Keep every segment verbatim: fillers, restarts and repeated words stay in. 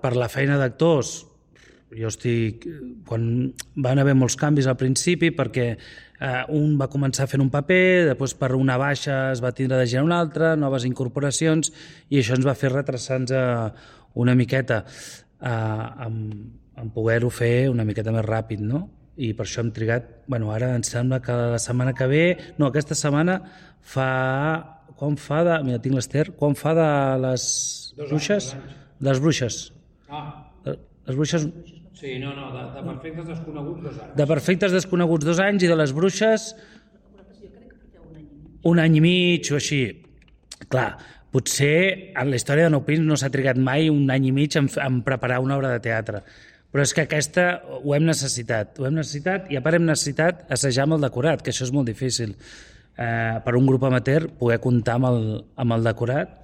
per la feina d'actors, jo estic... Quan van haver molts canvis al principi, perquè eh, un va començar fent un paper, després per una baixa es va tindre de girar un altre, noves incorporacions, i això ens va fer retrasar-nos una miqueta eh, amb, amb poder-ho fer una miqueta més ràpid, no? I per això hem trigat... Bueno, ara em sembla que la setmana que ve... No, aquesta setmana fa... Quan fa de... Mira, tinc l'Ester. Quan fa de les bruixes? De les bruixes. Ah. Les bruixes... Sí, no, no, de, de perfectes desconeguts dos anys. De perfectes desconeguts dos anys i de les bruixes un any i mig o així. Clar, potser en la història de Nou Pins no s'ha trigat mai un any i mig en, en preparar una obra de teatre. Però és que aquesta ho hem necessitat. Ho hem necessitat i a part hem necessitat assajar amb el decorat, que això és molt difícil. Eh, per un grup amateur poder comptar amb el, amb el decorat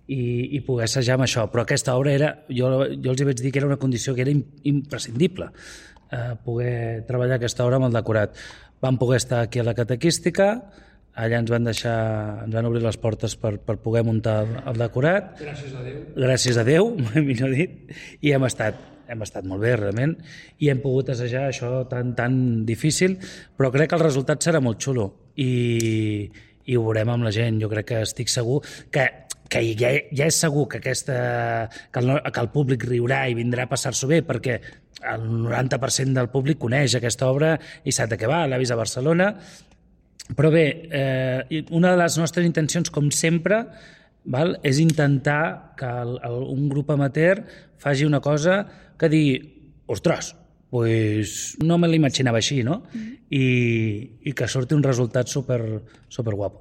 i, i poder assajar amb això. Però aquesta obra era, jo, jo els hi vaig dir que era una condició que era imprescindible, eh, poder treballar aquesta obra amb el decorat. Vam poder estar aquí a la catequística, allà ens van deixar, ens van obrir les portes per, per poder muntar el, el decorat. Gràcies a Déu. Gràcies a Déu, millor dit, i hem estat, hem estat molt bé, realment, i hem pogut assajar això tan, tan difícil, però crec que el resultat serà molt xulo, i, i ho veurem amb la gent. Jo crec que estic segur que, que ja, ja és segur que, aquesta, que, el, que el públic riurà i vindrà a passar-s'ho bé, perquè el noranta per cent del públic coneix aquesta obra i sap de què va, l'ha vist a Barcelona. Però bé, eh, una de les nostres intencions, com sempre, val, és intentar que el, el, un grup amateur faci una cosa que digui, ostres, pues no me l'imaginava així, no? Mm-hmm. I, i que surti un resultat super, super guapo.